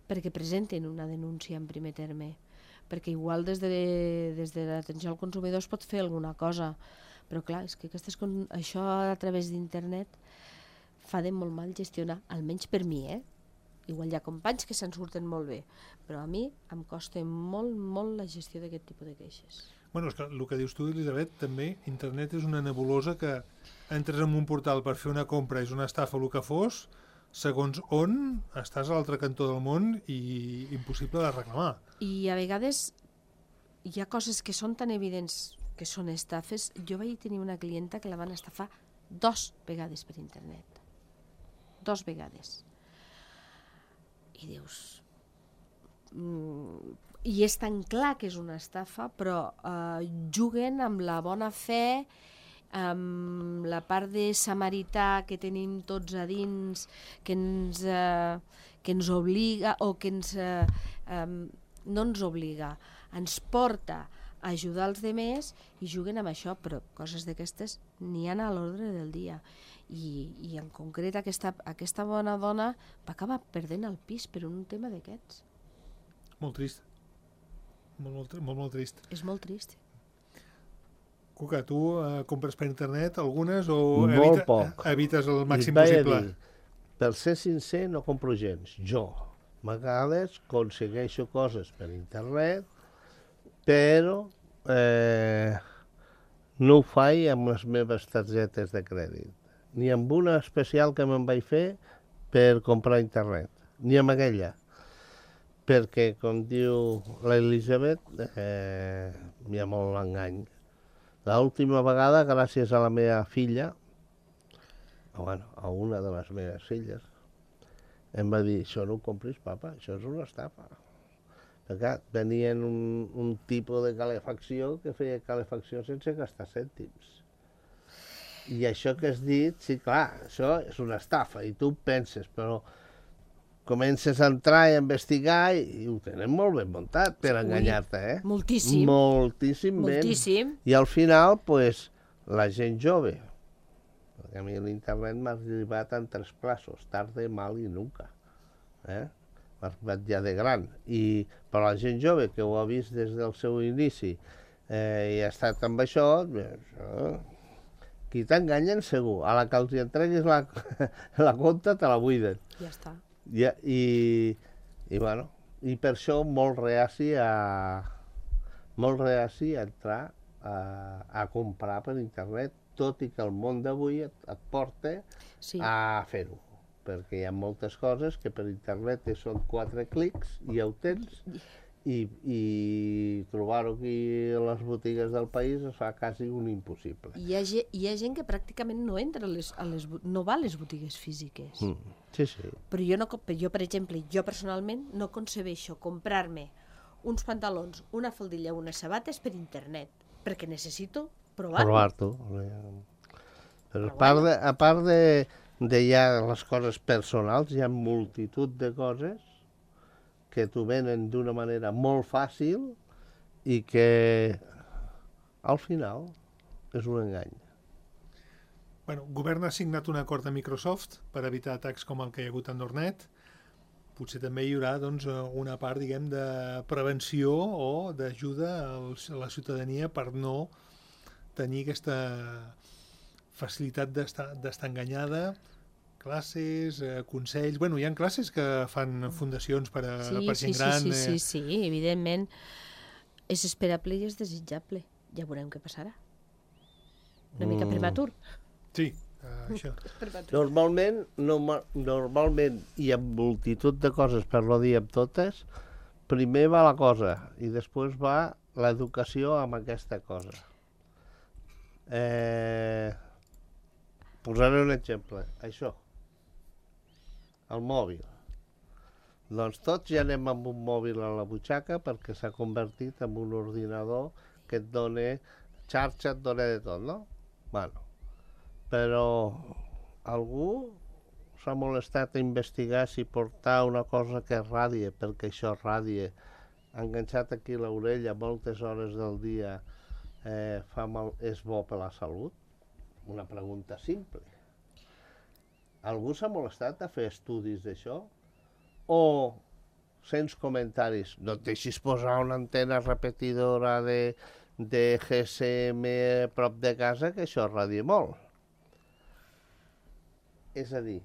perquè presenten una denúncia en primer terme, perquè igual des de, des de l'atenció al consumidor es pot fer alguna cosa. Però clar, és que aquestes, això a través d'internet fa de molt mal gestionar, almenys per mi, eh? Igual hi ha companys que se'n surten molt bé, però a mi em costa molt, molt la gestió d'aquest tipus de queixes. Bueno, és que el que dius tu, Elisabet, també, internet és una nebulosa que entres en un portal per fer una compra, és una estafa o el que fos, segons on estàs a l'altre cantó del món i impossible de reclamar. I a vegades hi ha coses que són tan evidents que són estafes. Jo vaig tenir una clienta que la van estafar dos vegades per internet. Dos vegades. I dius... Mm, i és tan clar que és una estafa, però eh, juguen amb la bona fe, amb la part de samarità que tenim tots a dins, que ens, eh, que ens obliga, o que ens... Eh, eh, no ens obliga, ens porta ajudar els demés i juguen amb això, però coses d'aquestes n'hi ha a l'ordre del dia. I, i en concret aquesta, aquesta bona dona va acabar perdent el pis per un tema d'aquests. Molt trist. Molt, molt, molt, molt trist. És molt trist. Cuca, tu eh, compres per internet algunes o molt evita, poc. evites el màxim possible? Dir, per ser sincer, no compro gens. Jo, a vegades, aconsegueixo coses per internet, però eh, no ho faig amb les meves targetes de crèdit, ni amb una especial que me'n vaig fer per comprar internet, ni amb aquella, perquè, com diu l'Elisabet, eh, hi ha molt engany. L'última vegada, gràcies a la meva filla, o bueno, a una de les meves filles, em va dir, això no ho compris, papa, això és una estafa. Perquè venien un, un tipus de calefacció que feia calefacció sense gastar cèntims. I això que has dit, sí, clar, això és una estafa, i tu penses, però comences a entrar i a investigar i ho tenen molt ben muntat per enganyar-te, eh? Moltíssim. Moltíssim ben. Moltíssim. I al final, pues, la gent jove, perquè a mi l'internet m'ha arribat en tres plaços, tarde, mal i nunca. Eh? M'ha arribat ja de gran. I per la gent jove que ho ha vist des del seu inici eh, i ha estat amb això, això qui t'enganyen segur. A la que els entreguis la, la compta te la buiden. Ja està. I, i, i, bueno, i per això molt reaci a, molt reaci a entrar a, a comprar per internet, tot i que el món d'avui et, et porta Sí. a fer-ho. Perquè hi ha moltes coses que per internet són quatre clics i ja ho tens, i, i trobar-ho aquí a les botigues del país es fa quasi un impossible. Hi ha, ge- hi ha gent que pràcticament no entra a les, a les, bo- no va a les botigues físiques. Mm. Sí, sí. Però jo, no, co- jo, per exemple, jo personalment no concebeixo comprar-me uns pantalons, una faldilla, unes sabates per internet, perquè necessito provar-ho. Provar-t'ho. Però a part de, a part de, de ja les coses personals, hi ha multitud de coses que t'ho venen d'una manera molt fàcil i que al final és un engany. Bueno, el govern ha signat un acord amb Microsoft per evitar atacs com el que hi ha hagut a Nordnet. Potser també hi haurà doncs, una part, diguem, de prevenció o d'ajuda als- a la ciutadania per no tenir aquesta facilitat d'estar d'estar enganyada. Classes, eh, consells... Bueno, hi ha classes que fan fundacions per a, Sí, per sí, gent sí, gran. sí, sí, eh, sí, evidentment. És esperable i és desitjable. Ja veurem què passarà. Una mica Mm. prematur. Sí, eh, això. Normalment, no, normalment hi ha multitud de coses, per no dir amb totes, primer va la cosa i després va l'educació amb aquesta cosa. Eh, posaré un exemple, això, el mòbil. Doncs tots ja anem amb un mòbil a la butxaca perquè s'ha convertit en un ordinador que et dona xarxa, et dona de tot, no? Bueno, però algú s'ha molestat a investigar si portar una cosa que radie, perquè això radie, enganxat aquí a l'orella moltes hores del dia, eh, fa mal, és bo per la salut? Una pregunta simple. Algú s'ha molestat a fer estudis d'això? O sents comentaris, no et deixis posar una antena repetidora de, de G S M a prop de casa, que això radia molt. És a dir,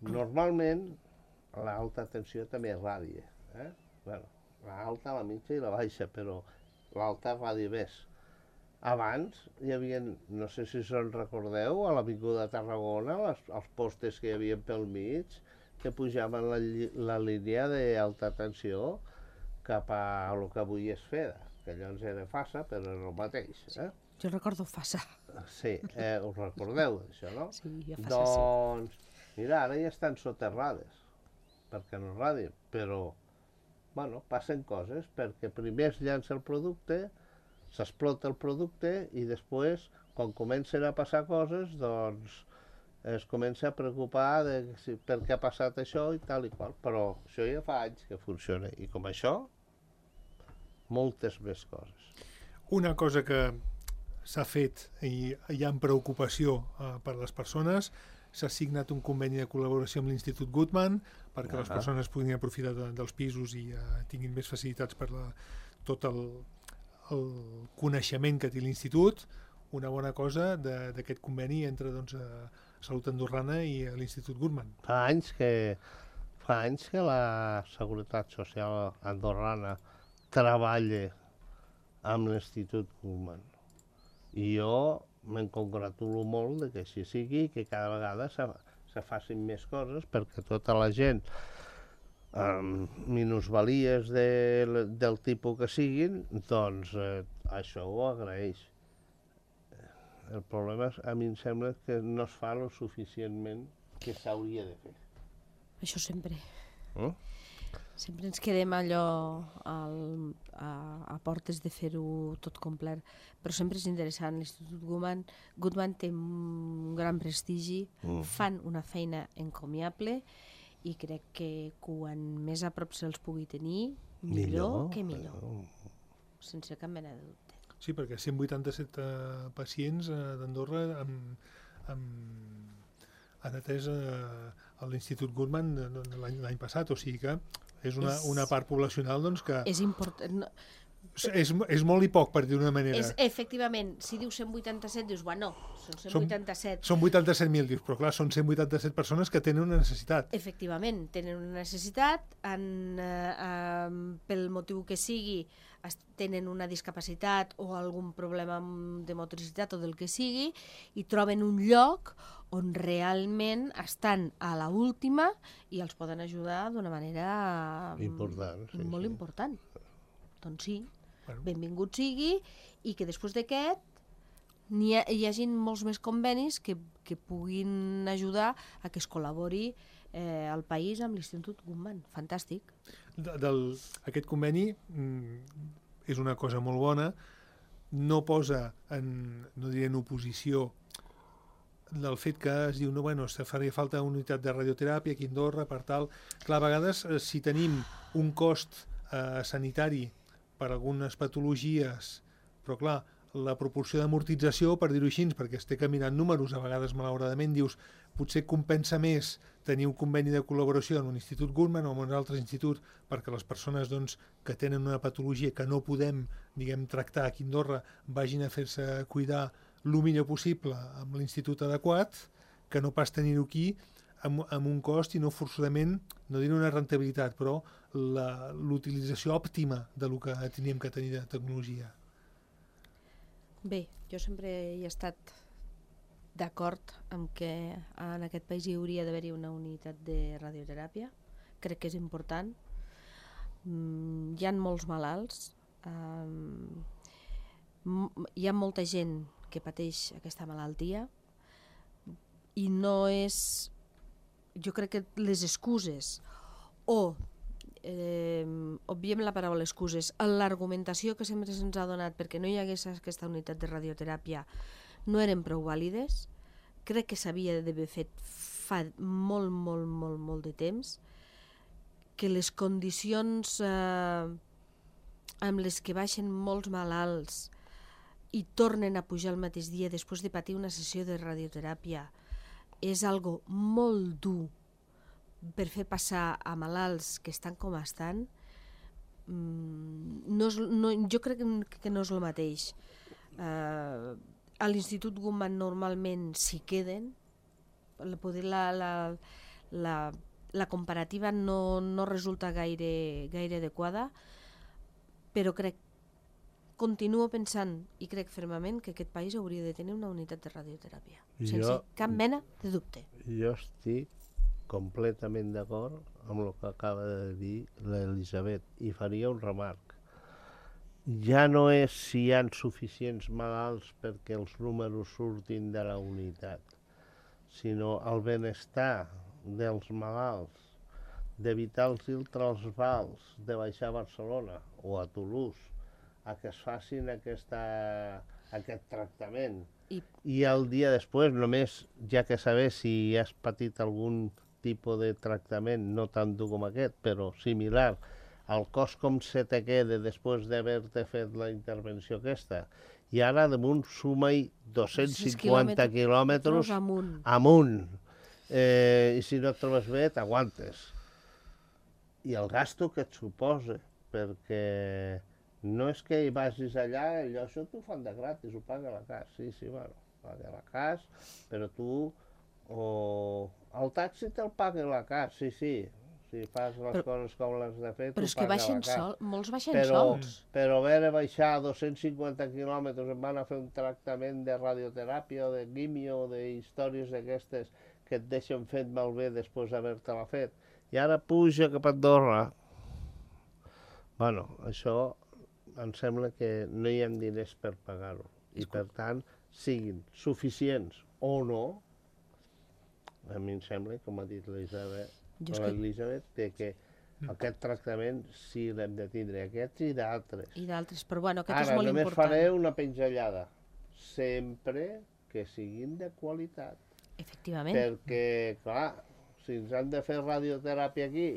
normalment l'alta tensió també radia. Eh? Bueno, l'alta, la mitja i la baixa, però l'alta radia més. Abans hi havia, no sé si se'n recordeu, a l'Avinguda de Tarragona, les, els postes que hi havia pel mig, que pujaven la, lli- la línia d'alta tensió cap a el que avui és Feda, que llavors era Fassa, però és el mateix. Eh? Jo recordo Fassa. Sí, eh, us recordeu d'això, no? Sí, jo Fassa Doncs, mira, ara ja estan soterrades, perquè no radien, però, bueno, passen coses, perquè primer es llança el producte, s'explota el producte i després, quan comencen a passar coses, doncs es comença a preocupar de si, per què ha passat això i tal i qual. Però això ja fa anys que funciona. I com això, moltes més coses. Una cosa que s'ha fet i hi ha preocupació eh, per les persones, s'ha signat un conveni de col·laboració amb l'Institut Guttmann perquè Ah. les persones puguin aprofitar de, dels pisos i eh, tinguin més facilitats per la, tot el, el coneixement que té l'Institut. Una bona cosa de- d'aquest conveni entre doncs, a Salut Andorrana i a l'Institut Guttmann. Fa anys que, fa anys que la Seguretat Social andorrana treballa amb l'Institut Guttmann. I jo me'n congratulo molt de que així sigui i que cada vegada se, se facin més coses perquè tota la gent amb minusvalies de, del tipus que siguin, doncs eh, això ho agraeix. El problema, és, a mi em sembla que no es fa lo suficientment que s'hauria de fer. Això sempre. Mm? Sempre ens quedem allò al, a, a portes de fer-ho tot complet, però sempre és interessant. L'Institut Guttmann, Guttmann té un gran prestigi, Mm. fan una feina encomiable i crec que quan més a prop se'ls pugui tenir, millor, millor que millor, però... sense cap mena de dubte. Sí, perquè cent vuitanta-set uh, pacients uh, d'Andorra amb, amb, han atès uh, a l'Institut Guttmann l'any passat, o sigui que és una, és, una part poblacional doncs, que... És important... No, és, és molt i poc, per dir d'una manera. És, efectivament, si dius cent vuitanta-set, dius, bueno, són cent vuitanta-set. Són, són vuitanta-set mil, dius, però clar, són cent vuitanta-set persones que tenen una necessitat. Efectivament, tenen una necessitat, en, eh, eh, pel motiu que sigui, tenen una discapacitat o algun problema de motricitat o del que sigui, i troben un lloc on realment estan a la última i els poden ajudar d'una manera important, sí, molt sí. important. Doncs sí, bueno. Benvingut sigui, i que després d'aquest hi, ha, hi hagin molts més convenis que, que puguin ajudar a que es col·labori eh, al país amb l'Institut Guttmann. Fantàstic. De, del, aquest conveni mm, és una cosa molt bona, no posa en, no diré en oposició del fet que es diu, no, bueno, se faria falta una unitat de radioteràpia aquí a Andorra, per tal. Clar, a vegades, eh, si tenim un cost eh, sanitari per algunes patologies, però clar, la proporció d'amortització, per dir-ho així, perquè es té que mirar números, a vegades malauradament dius, potser compensa més tenir un conveni de col·laboració amb un Institut Guttmann o amb un altre institut, perquè les persones doncs, que tenen una patologia que no podem, diguem, tractar aquí a Andorra, vagin a fer-se cuidar el millor possible amb l'institut adequat, que no pas tenir-ho aquí amb, amb un cost i no forçosament, no diré una rentabilitat, però l'utilització òptima de lo que teníem que tenir de tecnologia. Bé, jo sempre he estat d'acord amb que en aquest país hi hauria d'haver-hi una unitat de radioteràpia. Crec que és important. Mm, hi ha molts malalts, um, hi ha molta gent que pateix aquesta malaltia i no és... Jo crec que les excuses o eh, obviem la paraula excuses, l'argumentació que sempre se'ns ha donat perquè no hi hagués aquesta unitat de radioteràpia no eren prou vàlides. Crec que s'havia d'haver fet fa molt, molt, molt, molt de temps, que les condicions eh, amb les que baixen molts malalts i tornen a pujar el mateix dia després de patir una sessió de radioteràpia és algo molt dur per fer passar a malalts que estan com estan. No és, no, jo crec que no és el mateix. Uh, a l'Institut Guttmann normalment s'hi queden, poder la, la, la, la comparativa no, no resulta gaire, gaire adequada, però crec continuo pensant i crec fermament que aquest país hauria de tenir una unitat de radioteràpia, sense jo, cap mena de dubte. Jo estic completament d'acord amb el que acaba de dir l'Elisabet i faria un remarc. Ja no és si hi ha suficients malalts perquè els números surtin de la unitat, sinó el benestar dels malalts, d'evitar-los el trasbals de baixar a Barcelona o a Toulouse, a que es facin aquesta, aquest tractament. I... I el dia després, només ja que saber si has patit algun tipus de tractament, no tant dur com aquest, però similar, el cos com se te queda després d'haver-te fet la intervenció aquesta. I ara damunt suma-hi dos-cents cinquanta quilòmetres amunt. amunt. Eh, I si no et trobes bé, t'aguantes. I el gasto que et suposa, perquè no és que hi vagis allà, allò això t'ho fan de gratis, ho paga la C A S. Sí, sí, bueno, paga la C A S, però tu... O el taxi te'l paga la C A S, sí, sí. Si fas les però, coses com les de fer, però és que baixen sol, molts baixen però, sols. Però haver de baixar dos-cents cinquanta quilòmetres, em van a fer un tractament de radioteràpia o de quimio o d'històries d'aquestes que et deixen fet malbé després d'haver-te-la fet. I ara puja cap a Andorra. Bueno, això em sembla que no hi ha diners per pagar-ho. I per tant, siguin suficients o no, a mi em sembla, com ha dit l'Elisabet, que... que aquest tractament sí l'hem de tindre, aquests i d'altres. I d'altres, però bueno, aquest Ara, és molt important. Ara, només faré una penjallada. Sempre que siguin de qualitat. Efectivament. Perquè, clar, si ens han de fer radioteràpia aquí,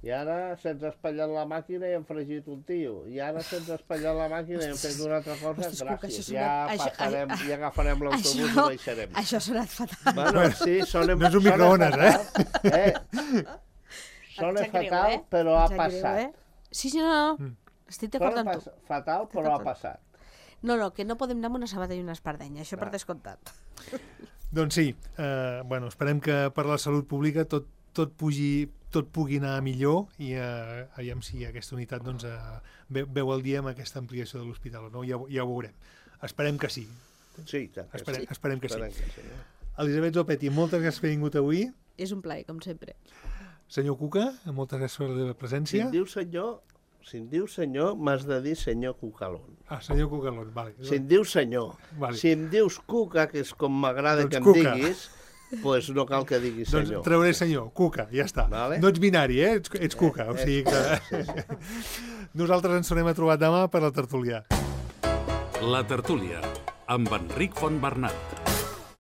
i ara se'ns ha espatllat la màquina i hem fregit un tio, i ara se'ns ha espatllat la màquina i hem fet una altra cosa, Ostres, Cuca, gràcies, això ja sona- això- passarem, això- ja agafarem l'autobús i Això, baixarem. això ha sonat fatal. Bueno, sí, sona, No és un sona microones, eh? fatal, eh? Sona Em sap greu, fatal, eh? però Em ha sap greu, passat. eh? Sí, sí, no, no. Mm. Estic Sona d'acord amb pas, tu. fatal, però ha passat. No, no, que no podem anar amb una sabata i una espardenya, això per Clar. descomptat. Doncs sí, eh, bueno, esperem que per la salut pública tot, tot, pugi, tot pugui anar millor i eh, aviam si aquesta unitat doncs, eh, ve, veu el dia amb aquesta ampliació de l'hospital o no, ja, ho- ja ho veurem. Esperem que sí. Sí, i tant que Esperem, sí. esperem que sí. Esperem que sí. eh? Elisabet Zopetti, moltes gràcies per haver vingut avui. És un plaer, com sempre. Senyor Cuca, moltes gràcies per la teva Si presència. em diu senyor, si em diu senyor, m'has de dir senyor Cucalón. Ah, senyor Cucalón, vale. Si em dius senyor, Vale. si em dius Cuca, que és com m'agrada Doncs que em Cuca. diguis, pues no cal que diguis Doncs senyor. trauré senyor, Cuca, ja està. Vale. No ets binari, eh? Ets, ets Cuca, o Eh, sigui que... sí, sí. Nosaltres ens tornem a trobar demà per la tertúlia. La tertúlia, amb Enric Fontbernat.